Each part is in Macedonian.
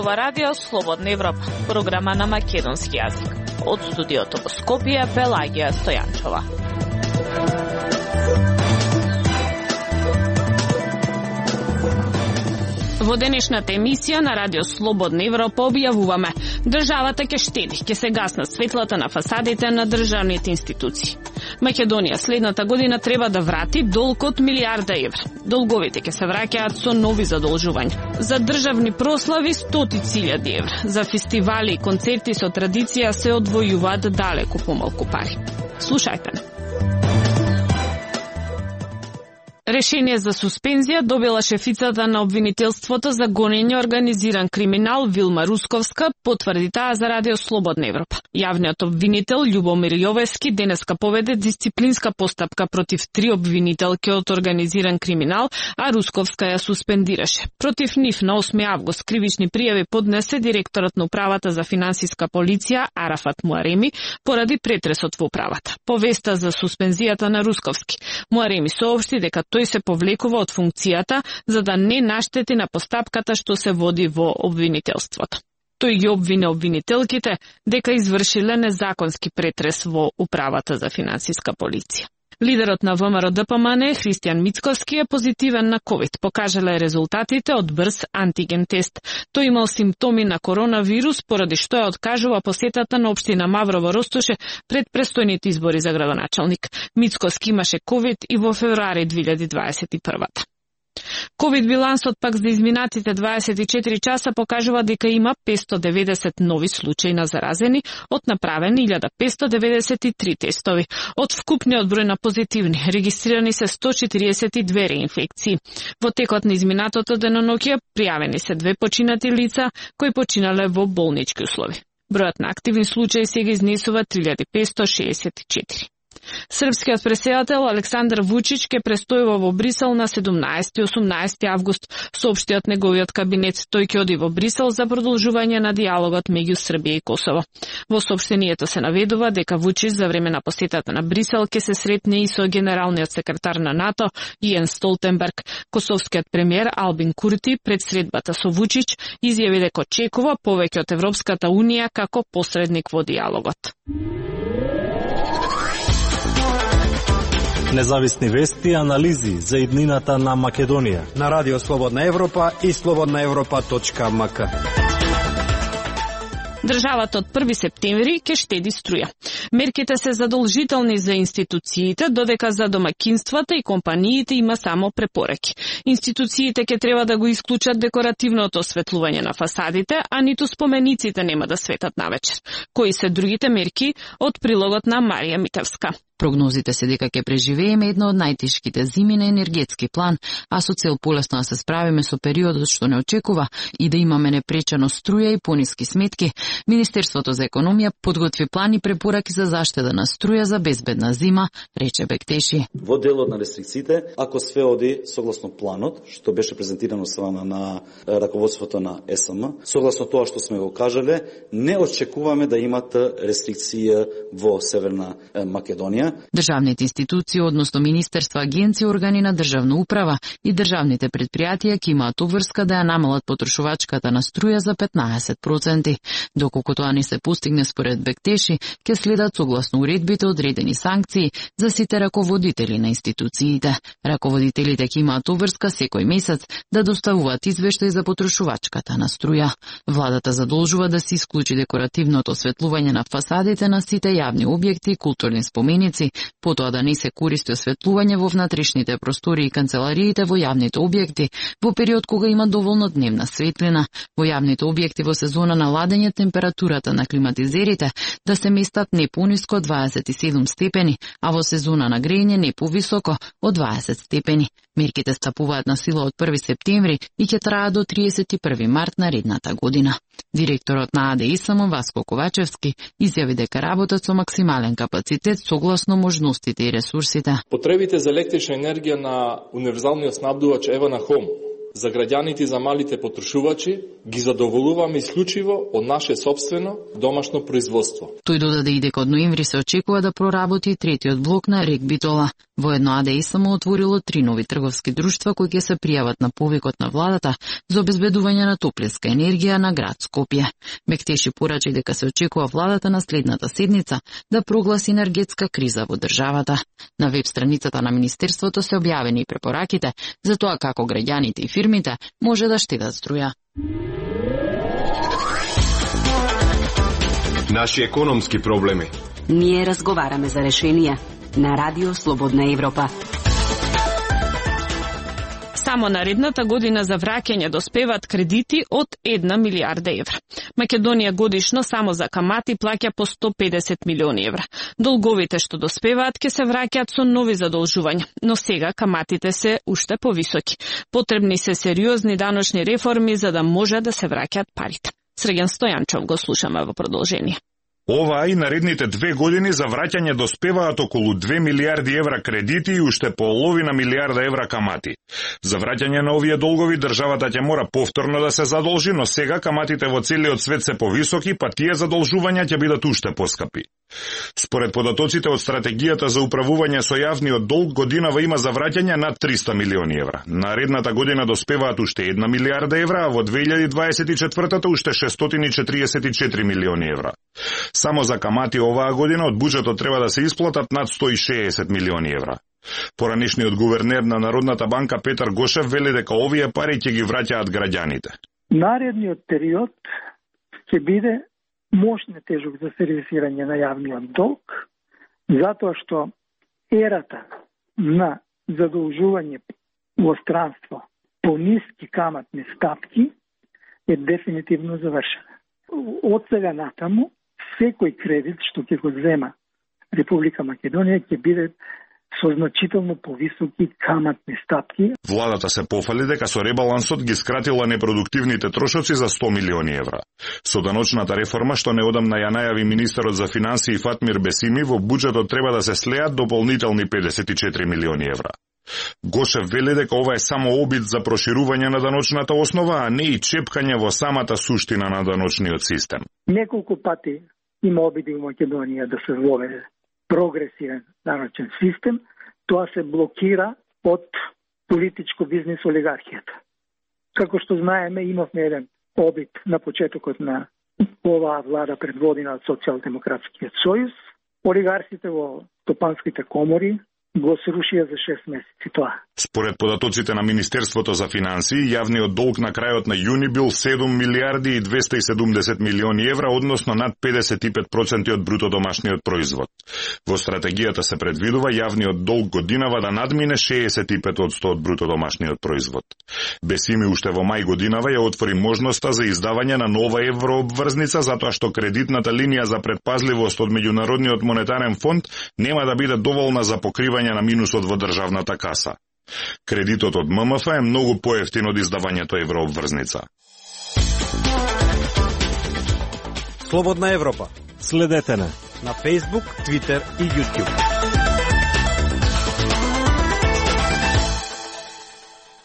зборува Радио Слободна Европа, програма на македонски јазик. Од студиото во Скопје, Пелагија Стојанчова. Во денешната емисија на Радио Слободна Европа објавуваме: државата ќе штеди, ќе се гаснат светлата на фасадите на државните институции. Македонија следната година треба да врати долг од милијарда евра. Долговите ќе се враќаат со нови задолжувања. За државни прослави 100.000 евра. За фестивали и концерти со традиција се одвојуваат далеку помалку пари. Слушајте. Решение за суспензија добила шефицата на обвинителството за гонење организиран криминал Вилма Русковска, потврди таа за Радио Слободна Европа. Јавниот обвинител Љубомир Јовевски денеска поведе дисциплинска постапка против 3 обвинителки од организиран криминал, а Русковска ја суспендираше. Против нив на 8 август кривични пријави поднесе директорот на управата за финансиска полиција Арафат Муареми поради претресот во управата. По веста за суспензијата на Русковски, Муареми соопшти дека тој се повлекува од функцијата за да не наштети на постапката што се води во обвинителството. Тој ги обвине обвинителките дека извршиле незаконски претрес во управата за финансиска полиција. Лидерот на ВМРО-ДПМН Христијан Мицковски е позитивен на COVID. Покажале резултатите од брз антиген тест. Тој имал симптоми на коронавирус, поради што ја откажува посетата на општина Маврово Ростоше пред престојните избори за градоначалник. Мицковски имаше COVID и во февруари 2021. COVID билансот пак за изминатите 24 часа покажува дека има 590 нови случаи на заразени од направени 1593 тестови. Од вкупниот број на позитивни регистрирани се 142 реинфекции. Во текот на изминатото деноноќие пријавени се 2 починати лица кои починале во болнички услови. Бројот на активни случаи сега изнесува 3564. Српскиот претседател Александар Вучич ќе престојува во Брисел на 17 и 18 август, соопшти од неговиот кабинет. Тој ќе оди во Брисел за продолжување на диалогот меѓу Србија и Косово. Во соопштението се наведува дека Вучич за време на посетата на Брисел ќе се сретне и со генералниот секретар на НАТО Јенс Столтенберг. Косовскиот премиер Албин Курти пред средбата со Вучич изјави дека очекува повеќе од Европската унија како посредник во диалогот. Независни вести и анализи за иднината на Македонија на Радио Слободна Европа и slobodnaevropa.mk. Државата од 1 септември ќе штеди струја. Мерките се задолжителни за институциите, додека за домакинствата и компаниите има само препораки. Институциите ќе треба да го исклучат декоративното осветлување на фасадите, а ниту спомениците нема да светат навечер. Кои се другите мерки од прилогот на Марија Митевска? Прогнозите се дека ќе преживееме една од најтешките зими на енергетски план, а со цел полесно да се справиме со периодот што не очекува и да имаме непречено струја и пониски сметки, Министерството за економија подготви план и препораки за заштеда на струја за безбедна зима, рече Бектеши. Во делот на рестрикциите, ако све оди согласно планот, што беше презентирано страна на раководството на ЕСМ, согласно тоа што сме го кажале, не очекуваме да имат рестрикција во Северна Македонија. Државните институции, односно министерства, агенции, органи на државна управа и државните предпријатија ќе имаат обврска да ја намалат потрошувачката на струја за 15%. Доколку тоа не се постигне според Бектеши, ќе следат согласно уредбите одредени санкции за сите раководители на институциите. Раководителите ќе имаат обврска секој месец да доставуваат извештај за потрошувачката на струја. Владата задолжува да се исклучи декоративното осветлување на фасадите на сите јавни објекти и културни споменици, потоа да не се користи осветлување во внатрешните простори и канцелариите во јавните објекти во период кога има доволно дневна светлина. Во јавните објекти во сезона на ладење температурата на климатизерите да се местат не пониско од 27 степени, а во сезона на грејење не повисоко од 20 степени. Мерките стапуваат на сила од 1 септември и ќе траат до 31 март наредната година. Директорот на АДИСМ Васко Ковачевски изјави дека работат со максимален капацитет согласно можностите и ресурсите. Потребите за електрична енергија на универзалниот снабдувач Евана Хом за граѓаните и за малите потрошувачи ги задоволуваме исклучиво од наше сопствено домашно производство. Тој додаде и дека од ноември се очекува да проработи третиот блок на РЕК Битола. Воедно АДИ само отворило 3 нови трговски друштва кои ќе се пријават на повикот на владата за обезбедување на топлинска енергија на град Скопје. Мектеши порачи дека се очекува владата на следната седница да прогласи енергетска криза во државата. На веб страницата на Министерството се објавени и препораките за тоа како граѓаните и фирмите може да штедат струја. Наши економски проблеми. Ние разговараме за решенија на Радио Слободна Европа. Само наредната година за враќање доспеваат кредити од 1 милиарда евра. Македонија годишно само за камати плаќа по 150 милиони евра. Долговите што доспеваат ќе се враќаат со нови задолжувања, но сега каматите се уште повисоки. Потребни се сериозни даночни реформи за да може да се враќаат парите. Срген Стојанчов го слушаме во продолжение. Оваа и наредните 2 години за враќање доспеваат околу 2 милиарди евра кредити и уште половина милиарда евра камати. За враќање на овие долгови државата ќе мора повторно да се задолжи, но сега каматите во целиот свет се повисоки, па тие задолжувања ќе бидат уште поскапи. Според податоците од стратегијата за управување со јавниот долг, годинава има за враќање над 300 милиони евра. Наредната година доспеваат уште 1 милиарда евра, а во 2024-та уште 644 милиони евра. Само за камати оваа година од буџетот треба да се исплатат над 160 милиони евра. Поранешниот гувернер на Народната банка Петар Гошев вели дека овие пари ќе ги враќаат граѓаните. Наредниот период ќе биде мощно тежок за сервисирање на јавниот долг, затоа што ерата на задолжување во странство по ниски каматни стапки е дефинитивно завршена. Од сега натаму, секој кредит што ќе го зема Република Македонија ќе биде со значително повисоки каматни стапки. Владата се пофали дека со ребалансот ги скратила непродуктивните трошоци за 100 милиони евра. Со даночната реформа што неодамна ја најави министерот за финансии Фатмир Бесими, во буџетот треба да се слеат дополнителни 54 милиони евра. Гошев вели дека ова е само обид за проширување на даночната основа, а не и чепкање во самата суштина на даночниот систем. Неколку пати има обиди во Македонија да се воведе прогресивен даночен систем, тоа се блокира од политичко бизнес олигархијата. Како што знаеме, имавме еден обид на почетокот на оваа влада предводена од Социјалдемократскиот сојуз. Олигарсите во топанските комори го срушија за 6 месеци тоа. Според податоците на Министерството за финансии, јавниот долг на крајот на јуни бил 7 милиарди и 270 милиони евра, односно над 55% од бруто домашниот производ. Во стратегијата се предвидува јавниот долг годинава да надмине 65% од бруто домашниот производ. Бесими уште во мај годинава ја отвори можноста за издавање на нова еврообврзница, затоа што кредитната линија за предпазливост од Меѓународниот монетарен фонд нема да биде доволна за покривање на минусот во државната каса. Кредитот од ММФ е многу поевтин од издавањето еврообврзница. Слободна Европа. Следете на Facebook, Twitter и YouTube.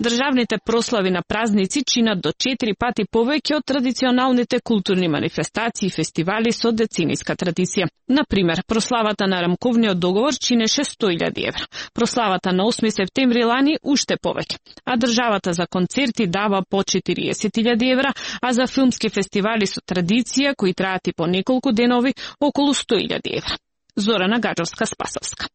Државните прослави на празници чинат до 4 пати повеќе од традиционалните културни манифестации и фестивали со децениска традиција. Например, прославата на рамковниот договор чинеше 100.000 евра. Прославата на 8 септември лани уште повеќе. А државата за концерти дава по 40.000 евра, а за филмски фестивали со традиција кои траат и по неколку денови околу 100.000 евра. Зорана Гаджовска-Спасовска.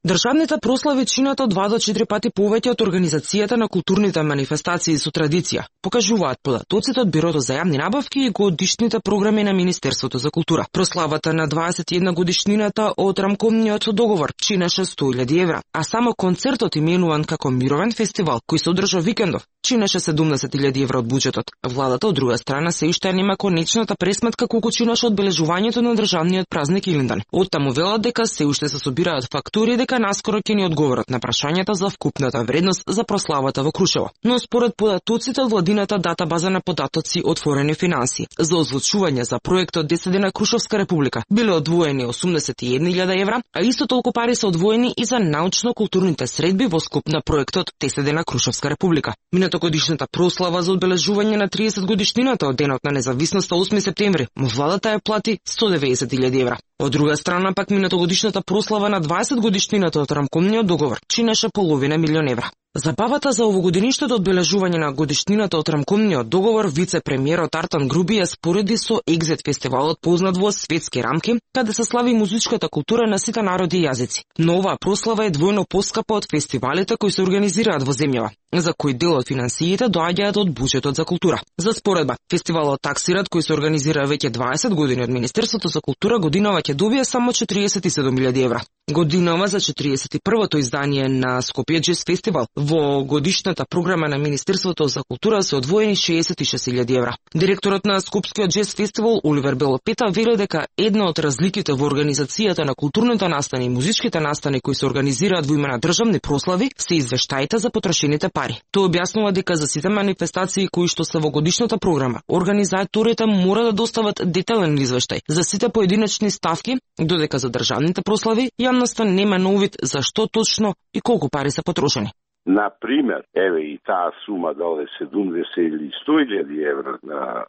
Државните прослави чинат од 2 до 4 пати повеќе од организацијата на културните манифестации со традиција, покажуваат податоците од Бирото за јавни набавки и годишните програми на Министерството за култура. Прославата на 21 годишнината од рамковниот договор чинеше 100.000 евра, а само концертот именуван како Мировен фестивал, кој се одржа викендов, чинеше 70.000 евра од буџетот. Владата од друга страна се уште нема конечната пресметка колку чинеше одбележувањето на државниот празник Илиндан. Оттаму велат дека се уште се собираат фактури дека дека наскоро ќе ни одговорат на прашањата за вкупната вредност за прославата во Крушево. Но според податоците од владината датабаза на податоци отворени финансии, за озвучување за проектот 10 дена Крушевска република биле одвоени 81.000 евра, а исто толку пари се одвоени и за научно-културните средби во скоп на проектот 10 дена Крушевска република. Минатогодишната прослава за одбележување на 30 годишнината од денот на независноста 8 септември, владата ја плати 190.000 евра. Од друга страна пак минатогодишната прослава на 20 годишнината од рамкомниот договор чинеше половина милион евра. Забавата за овогодишното одбележување на годишнината од рамкомниот договор вице-премиерот Артан Груби ја спореди со Екзит фестивалот познат во светски рамки, каде се слави музичката култура на сите народи и јазици. Но оваа прослава е двојно поскапа од фестивалите кои се организираат во земјава, за кој дел од финансиите доаѓаат од буџетот за култура. За споредба, фестивалот Таксират, кој се организира веќе 20 години од Министерството за култура, годинава ќе добие само 47.000 евра. Годинава за 41-то издание на Скопје Джез фестивал во годишната програма на Министерството за култура се одвоени 66.000 евра. Директорот на Скопскиот Джез фестивал Оливер Белопета вели дека една од разликите во организацијата на културните настани и музичките настани кои се организираат во име на државни прослави се извештаите за потрошените пари. Тој објаснува дека за сите манифестации кои што се во годишната програма, организаторите мора да достават детален извештај за сите поединечни ставки, додека за државните прослави јавноста нема на увид за што точно и колку пари се потрошени. Например, еве и таа сума дали 70 или 100.000 евра на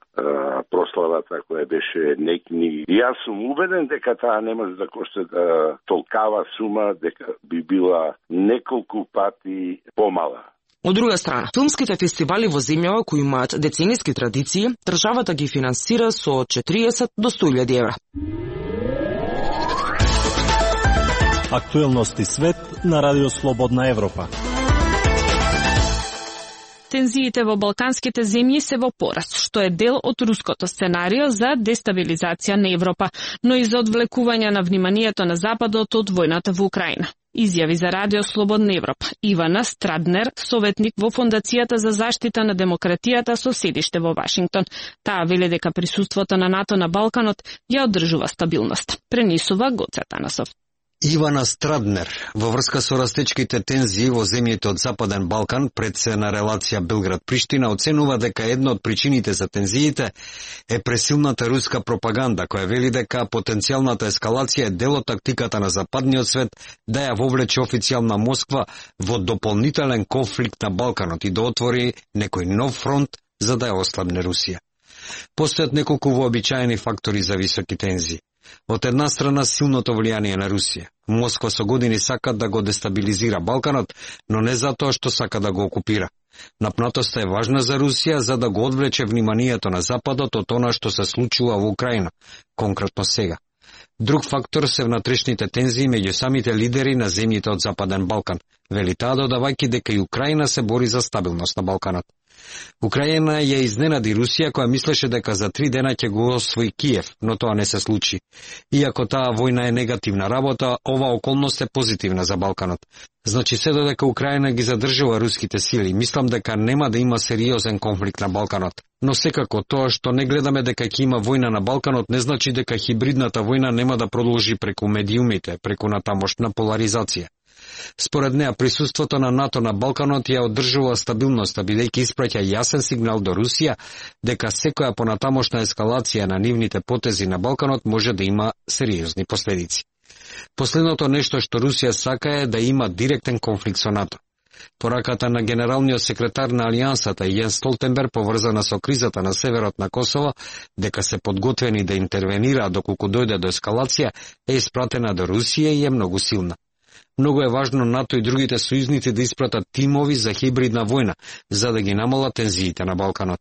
прославата која беше некни. Јас сум убеден дека таа не може да кошта толкава сума, дека би била неколку пати помала. Од друга страна, филмските фестивали во земјава кои имаат децениски традиции, државата ги финансира со 40 до 100.000 евра. Актуелности свет на Радио Слободна Европа. Тензиите во балканските земји се во пораст, што е дел од руското сценарио за дестабилизација на Европа, но и за одвлекување на вниманието на Западот од војната во Украина. Изјави за Радио Слободна Европа Ивана Страднер, советник во Фондацијата за заштита на демократијата со седиште во Вашингтон. Таа вели дека присуството на НАТО на Балканот ја одржува стабилност. Пренесува Гоце Танасов. Ивана Страднер, во врска со растечките тензии во земјите од Западен Балкан, председна релација Белград-Приштина, оценува дека една од причините за тензиите е пресилната руска пропаганда, која вели дека потенцијалната ескалација е дел од тактиката на западниот свет да ја вовлече официјална Москва во дополнителен конфликт на Балканот и да отвори некој нов фронт за да ја ослабне Русија. Постојат неколку вообичаени фактори за високи тензии. Од една страна силното влијание на Русија. Москва со години сака да го дестабилизира Балканот, но не затоа што сака да го окупира. Напнатоста е важна за Русија за да го одвлече вниманието на Западот од она што се случува во Украина, конкретно сега. Друг фактор се внатрешните тензии меѓу самите лидери на земјите од Западен Балкан, вели таа додавајќи дека и Украина се бори за стабилност на Балканот. Украина ја изненади Русија која мислеше дека за 3 дена ќе го освои Киев, но тоа не се случи. Иако таа војна е негативна работа, ова околност е позитивна за Балканот. Значи се додека Украина ги задржува руските сили, мислам дека нема да има сериозен конфликт на Балканот. Но секако тоа што не гледаме дека ќе има војна на Балканот не значи дека хибридната војна нема да продолжи преку медиумите, преку натамошна поларизација. Според неа, присуството на НАТО на Балканот ја одржува стабилноста, бидејќи испраќа јасен сигнал до Русија дека секоја понатамошна ескалација на нивните потези на Балканот може да има сериозни последици. Последното нешто што Русија сака е да има директен конфликт со НАТО. Пораката на генералниот секретар на Алијансата Јен Столтенберг, поврзана со кризата на северот на Косово, дека се подготвени да интервенираат доколку дојде до ескалација, е испратена до Русија и е многу силна. Многу е важно НАТО и другите сојузници да испратат тимови за хибридна војна, за да ги намалат тензиите на Балканот.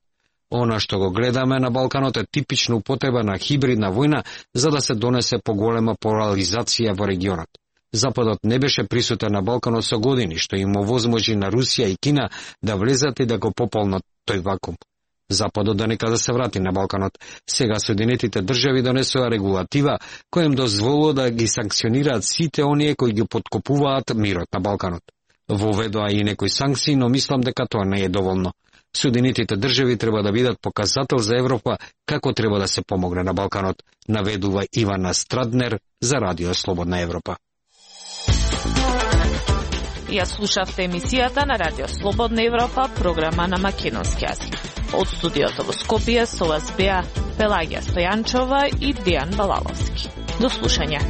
Она што го гледаме на Балканот е типична употреба на хибридна војна за да се донесе поголема поларизација во регионот. Западот не беше присутен на Балканот со години, што им овозможи на Русија и Кина да влезат и да го пополнат тој вакуум. Западот да нека да се врати на Балканот. Сега Соединетите држави донесува регулатива која им дозволува да ги санкционираат сите оние кои ги подкопуваат мирот на Балканот. Воведоа и некои санкции, но мислам дека тоа не е доволно. Соединетите држави треба да бидат показател за Европа како треба да се помогне на Балканот, наведува Ивана Страднер за Радио Слободна Европа. Ја слушавте емисијата на Радио Слободна Европа, програма на македонски јазик. Од студиото во Скопје со вас беа Пелагија Стојанчова и Дејан Балаловски. До слушање.